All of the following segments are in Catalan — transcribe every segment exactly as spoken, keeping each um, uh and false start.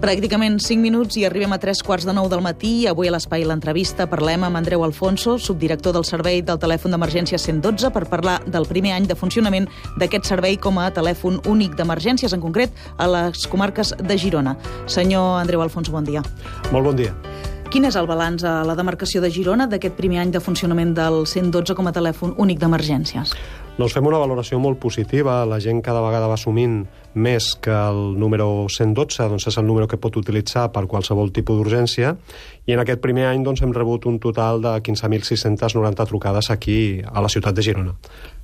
Pràcticament cinc minuts i arribem a tres quarts de nou del matí. Avui a l'Espai l'entrevista parlem amb Andreu Alfonso, subdirector del servei del telèfon d'emergència cent dotze, per parlar del primer any de funcionament d'aquest servei com a telèfon únic d'emergències, en concret a les comarques de Girona. Senyor Andreu Alfonso, bon dia. Molt bon dia. Quin és el balanç a la demarcació de Girona d'aquest primer any de funcionament del cent dotze com a telèfon únic d'emergències? Doncs fem una valoració molt positiva. La gent cada vegada va assumint més que el número cent dotze doncs és el número que pot utilitzar per qualsevol tipus d'urgència, i en aquest primer any doncs, hem rebut un total de quinze mil sis-centes noranta trucades aquí a la ciutat de Girona.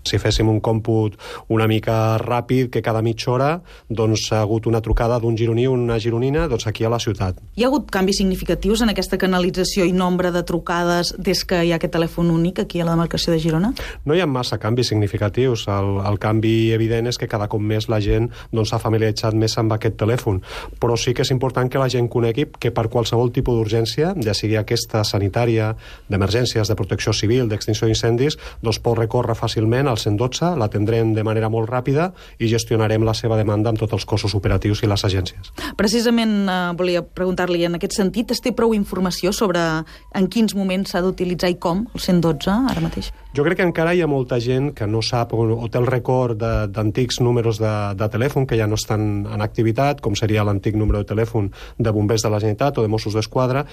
Si féssim un còmput una mica ràpid, que cada mitja hora doncs, ha hagut una trucada d'un gironí o una gironina doncs, aquí a la ciutat. Hi ha hagut canvis significatius en aquesta canalització i nombre de trucades des que hi ha aquest telèfon únic aquí a la demarcació de Girona? No hi ha massa canvis significatius. El, el canvi evident és que cada cop més la gent doncs, s'ha familiaritzat més amb aquest telèfon, però sí que és important que la gent conegui que per qualsevol tipus d'urgència, ja sigui aquesta sanitària, d'emergències, de protecció civil, d'extinció d'incendis, doncs pot recórrer fàcilment al cent dotze, l'atendrem de manera molt ràpida i gestionarem la seva demanda amb tots els cossos operatius i les agències. Precisament eh, volia preguntar-li en aquest sentit, es té prou informació sobre en quins moments s'ha d'utilitzar i com el cent dotze ara mateix? Jo crec que encara hi ha molta gent que no sap o, o té el record d'antics números de, de telèfon que ja no estan en activitat, com seria l'antic número de telèfon de bombers de la Generalitat o de Mossos d'Esquadra,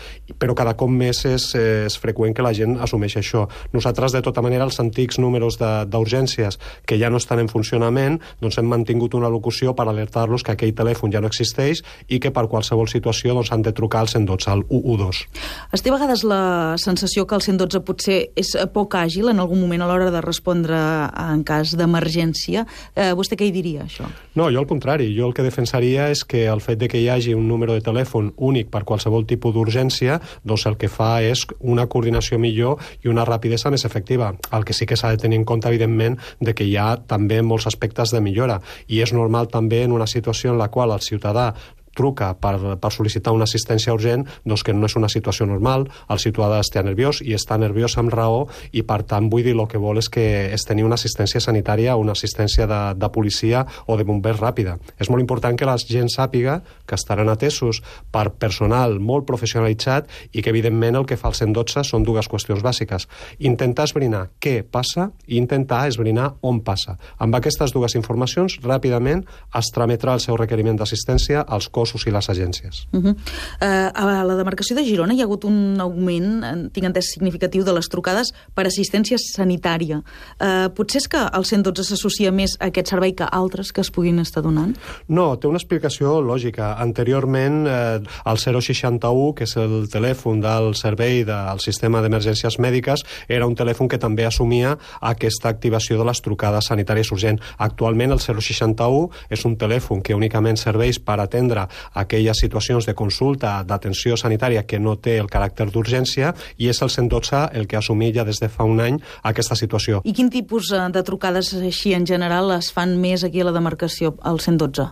però cada cop més és, és freqüent que la gent assumeix això. Nosaltres, de tota manera, els antics números d'urgències que ja no estan en funcionament, doncs hem mantingut una locució per alertar-los que aquell telèfon ja no existeix i que per qualsevol situació doncs, han de trucar al cent dotze, al u u dos. Es té a vegades la sensació que el cent dotze potser és poc àgil en algun moment a l'hora de respondre en cas d'emergència. Eh, vostè què hi diria, això? No, jo al contrari. Jo el que defensaria és que el fet de que hi hagi un número de telèfon únic per qualsevol tipus d'urgència, doncs el que fa és una coordinació millor i una rapidesa més efectiva. El que sí que s'ha de tenir en compte, evidentment, de que hi ha també molts aspectes de millora. I és normal també en una situació en la qual el ciutadà truca per, per sol·licitar una assistència urgent, doncs que no és una situació normal, el ciutadà està nerviós i està nerviós amb raó, i per tant vull dir el que vol és que és tenir una assistència sanitària o una assistència de, de policia o de bombers ràpida. És molt important que la gent sàpiga que estaran atesos per personal molt professionalitzat i que evidentment el que fa el cent dotze són dues qüestions bàsiques. Intentar esbrinar què passa i intentar esbrinar on passa. Amb aquestes dues informacions ràpidament es trametrà el seu requeriment d'assistència als cossos i les agències. Uh -huh. uh, a la demarcació de Girona hi ha hagut un augment, tinc entès, significatiu de les trucades per assistència sanitària. Uh, potser és que el cent dotze s'associa més a aquest servei que altres que es puguin estar donant? No, té una explicació lògica. Anteriorment, eh, el zero seixanta u, que és el telèfon del servei del sistema d'emergències mèdiques, era un telèfon que també assumia aquesta activació de les trucades sanitàries urgents. Actualment, el zero seixanta u és un telèfon que únicament serveix per atendre aquelles situacions de consulta, d'atenció sanitària que no té el caràcter d'urgència, i és el cent dotze el que ha assumit ja des de fa un any aquesta situació. I quin tipus de trucades així en general es fan més aquí a la demarcació, al cent dotze?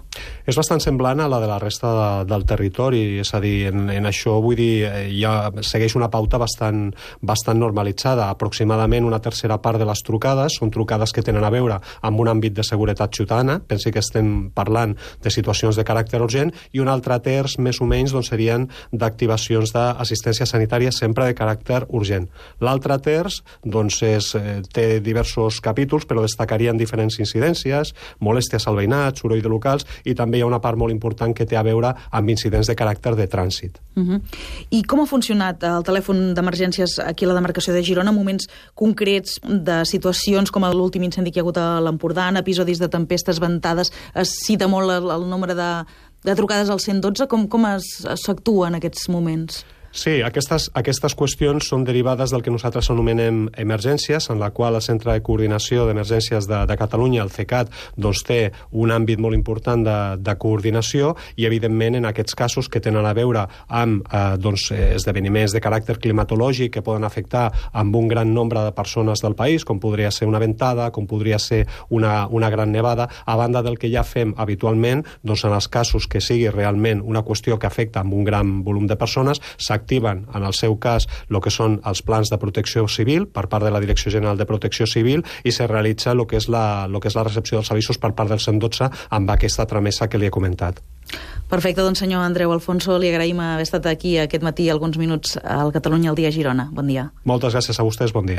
És bastant semblant a la de la resta de, del territori, és a dir, en, en això vull dir, ja segueix una pauta bastant, bastant normalitzada. Aproximadament una tercera part de les trucades són trucades que tenen a veure amb un àmbit de seguretat ciutadana, pensi que estem parlant de situacions de caràcter urgent, i un altre terç, més o menys, doncs, serien d'activacions d'assistència sanitària sempre de caràcter urgent. L'altre terç doncs, és, eh, té diversos capítols, però destacarien diferents incidències, molèsties al veïnat, soroll de locals, i també hi ha una part molt important que té a veure amb incidents de caràcter de trànsit. Uh -huh. I com ha funcionat el telèfon d'emergències aquí a la demarcació de Girona en moments concrets de situacions com l'últim incendi que hi ha hagut a l'Empordà, en episodis de tempestes, ventades? Es cita molt el, el nombre de de trucades al cent dotze, com, com s'actua en aquests moments? Sí, aquestes, aquestes qüestions són derivades del que nosaltres anomenem emergències, en la qual el Centre de Coordinació d'Emergències de, de Catalunya, el CECAT, doncs té un àmbit molt important de, de coordinació, i evidentment en aquests casos que tenen a veure amb eh, doncs, esdeveniments de caràcter climatològic que poden afectar amb un gran nombre de persones del país, com podria ser una ventada, com podria ser una, una gran nevada, a banda del que ja fem habitualment, doncs en els casos que sigui realment una qüestió que afecta amb un gran volum de persones, s'activen s'activen, en el seu cas, el que són els plans de protecció civil per part de la Direcció General de Protecció Civil i se realitza el que és la, el que és la recepció dels avisos per part del cent dotze amb aquesta tramesa que li he comentat. Perfecte, doncs senyor Andreu Alfonso, li agraïm haver estat aquí aquest matí alguns minuts al Catalunya al dia a Girona. Bon dia. Moltes gràcies a vostès, bon dia.